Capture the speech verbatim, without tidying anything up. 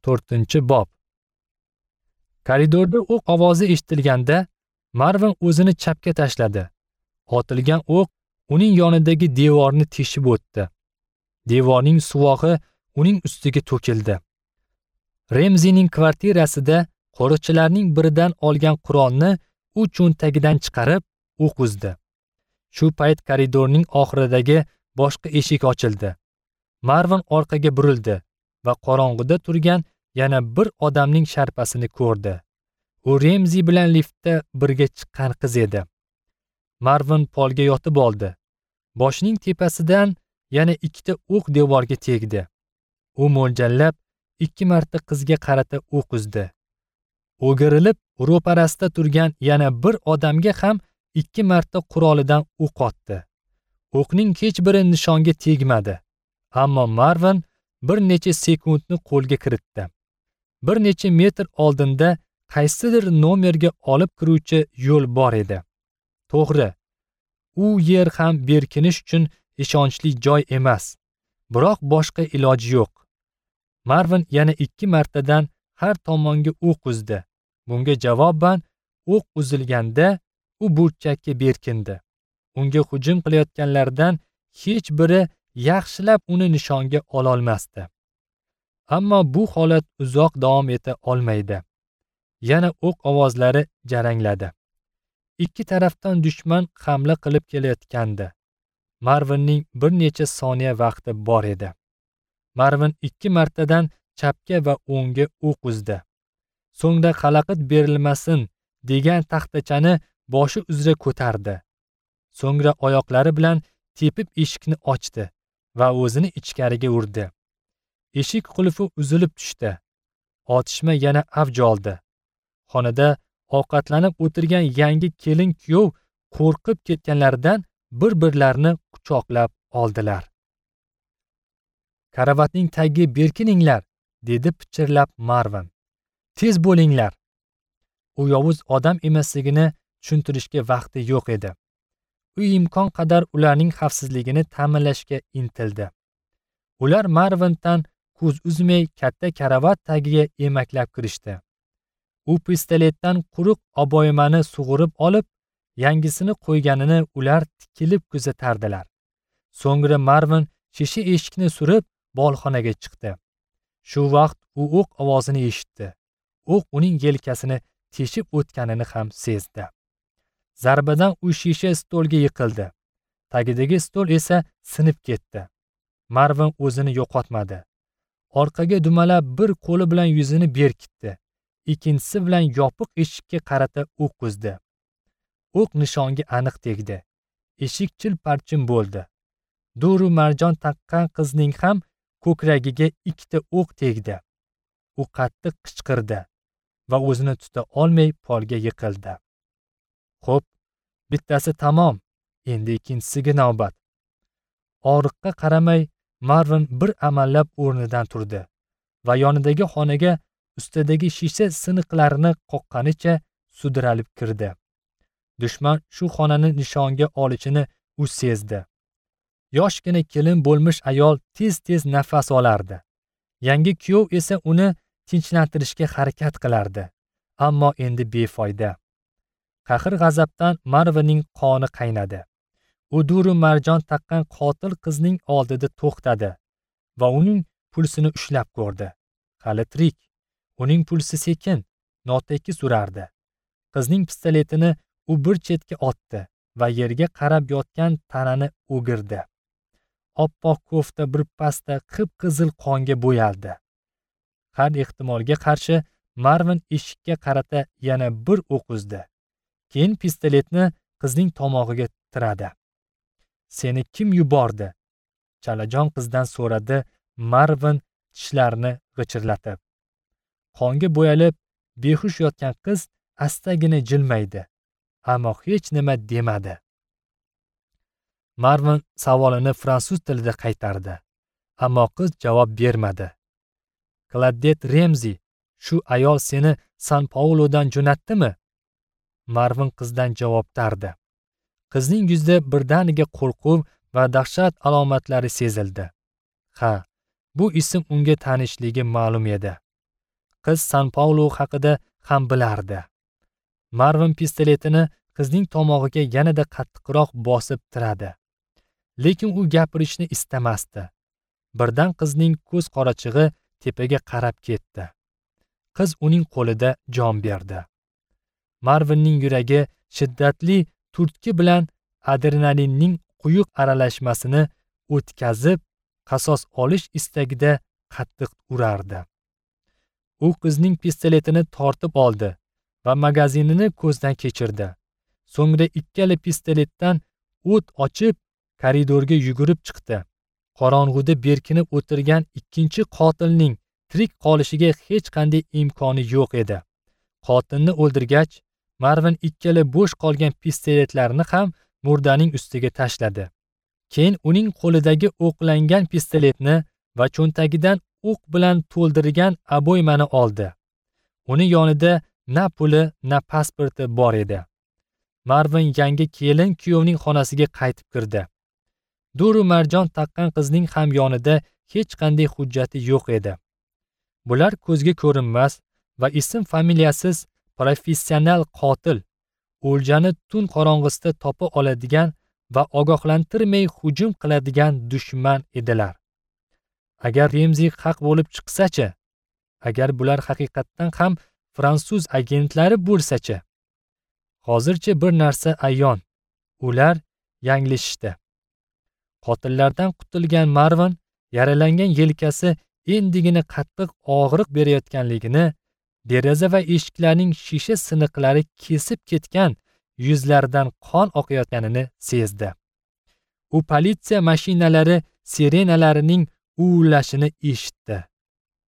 To'rtinchi bob. Koridorda o'q ovozi eshitilganda Marvin o'zini chapga tashladi. Otilgan o'q uning yonidagi devorni teshib o'tdi. Devorning suvog'i uning ustiga to'kildi. Remzining kvartirasida qo'riqchilarning biridan olgan qurolni u cho'ntagidan chiqarib o'q uzdi. Shu payt koridorning oxiridagi boshqa eshik ochildi. Marvin orqaga burildi va qorong'ida turgan yana bir odamning sharpasini ko'rdi. U Remzi bilan liftda birga chiqqan qiz edi. Marvin polga yotib oldi. Boshining tepasidan yana ikkita o'q devorga tegdi. U mo'ljallab ikki marta qizga qarata o'q uzdi. O'girilib ro'parasida turgan yana bir odamga ham ikki marta qurolidan o'q otdi. O'qning hech biri nishonga tegmadi. Ammo Marvin bir necha sekundni qo'lga kiritdi. Bir necha metr oldinda qaysidir nomerga olib kiruvchi yo'l bor edi. To'g'ri, u yer ham berkinish uchun ishonchli joy emas. Biroq boshqa iloji yo'q. Marvin yana ikki martadan har tomonga o'q uzdi. Bunga javoban o'q uzilganda u burchakka berkindi. Unga hujum qilayotganlardan hech biri yaxshilab uni nishonga ola olmasdi. Ammo bu holat uzoq davom eta olmaydi. Yana o'q ovozlari jarangladi. Ikki tarafdan dushman hamla qilib kelayotgandi. Marvinning bir necha soniya vaqti bor edi. Marvin ikki martadan chapga va o'ngga o'q uzdi. So'ngda xalaqit berilmasin degan taxtachani boshi uzra ko'tardi. So'ngra oyoqlari bilan tepib eshikni ochdi va o'zini ichkariga urdi. Eshik qulfi uzilib tushdi. Otishma yana avj oldi. Xonada ovqatlanib o'tirgan yangi kelin kuyov qo'rqib ketganlaridan bir-birlarini quchoqlab oldilar. Karavotning tagiga berkininglar, dedi pichirlab Marvin. Tez bo'linglar. U yovuz odam emasligini tushuntirishga vaqti yo'q edi. U imkon qadar ularning xavfsizligini ta'minlashga intildi. Ular Marvindan ko'z uzmay katta karavot tagiga emaklab kirishdi. U pistoletdan quruq oboymani sug'urib olib, yangisini qo'yganini ular tikilib kuzatardilar. So'ngra Marvin shisha eshikni surib bolxonaga chiqdi. Shu vaqt u o'q ovozini eshitdi. O'q uning yelkasini teshib o'tganini ham sezdi. Zarbadan u shisha stolga yiqildi. Tagidagi stol esa sinib ketdi. Marvin o'zini yo'qotmadi. Orqaga dumalab bir qo'li bilan yuzini berkitdi. Ikkinchisi bilan yopiq eshikka qarata o'q uzdi. O'q nishonga aniq tegdi. Eshik chil-parchin bo'ldi. Duru marjon taqqan qizning ham ko'kragiga ikkita o'q tegdi. U qattiq qichqirdi va o'zini tuta olmay polga yiqildi. Xo'p, bittasi tamom, endi ikkinchisiga navbat. Og'riqqa qaramay Marvin bir amallab o'rnidan turdi va yonidagi xonaga ustidagi shisha siniqlarini qoqqanicha sudralib kirdi. Dushman shu xonani nishonga olishini u sezdi. Yoshgina kelin bo'lmish ayol tez-tez nafas olardi. Yangi kuyov esa uni tinchlantirishga harakat qilardi, ammo endi befoyda. Qahr-g'azabdan Marvinning qoni qaynadi. U duru marjon taqqan qotil qizning oldida to'xtadi va uning pulsini ushlab ko'rdi. Hali tirik. Uning pulsi sekin, notekis urardi. Qizning pistoletini u bir chetga otdi va yerga qarab yotgan tanani o'girdi. Oppoq kofta bir pasda qip-qizil qonga bo'yaldi. Har ehtimolga qarshi Marvin eshikka qarata yana bir o'q uzdi. Keyin pistoletni qizning tomog'iga tiradi. Seni kim yubordi? Chalajon qizdan so'radi Marvin tishlarini g'ichirlatib. Qonga bo'yalib behush yotgan qiz astagina jilmaydi, ammo hech nima demadi. Marvin savolini fransuz tilida qaytardi, ammo qiz javob bermadi. Claudette Remzi, shu ayol seni San Paulodan jo'natdimi? Marvin qizdan javob tardi. Qizning yuzida birdaniga qo'rquv va dahshat alomatlari sezildi. Ha, bu ism unga tanishligi ma'lum edi. Qiz San Paulo haqida ham bilardi. Marvin pistoletini qizning tomog'iga yanada qattiqroq bosib tiradi. Lekin u gapirishni istamasdi. Birdan qizning ko'z qorachig'i tepaga qarab ketdi. Qiz uning qo'lida jon berdi. Marvinning yuragi shiddatli turtki bilan adrenalinning quyuq aralashmasini o'tkazib, qasos olish istagida qattiq urardi. U qizning pistoletini tortib oldi va magazinini ko'zdan kechirdi. So'ngra ikkala pistoletdan o't ochib, koridorga yugurib chiqdi. Qorong'uda berkinib o'tirgan ikkinchi qotilning tirik qolishiga hech qanday imkoni yo'q edi. Qotilni o'ldirgach, Marvin ikkala bo'sh qolgan pistoletlarni ham murdaning ustiga tashladi. Keyin uning qo'lidagi o'qlangan pistoletni va cho'ntagidan o'q bilan to'ldirgan aboymani oldi. Uni yonida na puli, na pasporti bor edi. Marvin yangi kelin kuyovning xonasiga qaytib kirdi. Duru marjon taqqan qizning ham yonida hech qanday hujjati yo'q edi. Bular ko'zga ko'rinmas va ism familiyasiz professional qotil, o'ljani tun qorong'isida topa oladigan va ogohlantirmay hujum qiladigan dushman edilar. Agar Remzi haq bo'lib chiqsa-chi? Agar bular haqiqatdan ham fransuz agentlari bo'lsa-chi? Hozircha bir narsa ayon. Ular yanglishishdi. Qotillardan qutulgan Marvin yaralangan yelkasi endigina qattiq og'riq berayotganligini, deraza va eshiklarning shisha siniqlari kesib ketgan yuzlaridan qon oqayotganini sezdi. U politsiya mashinalari sirenalarining uvillashini eshitdi.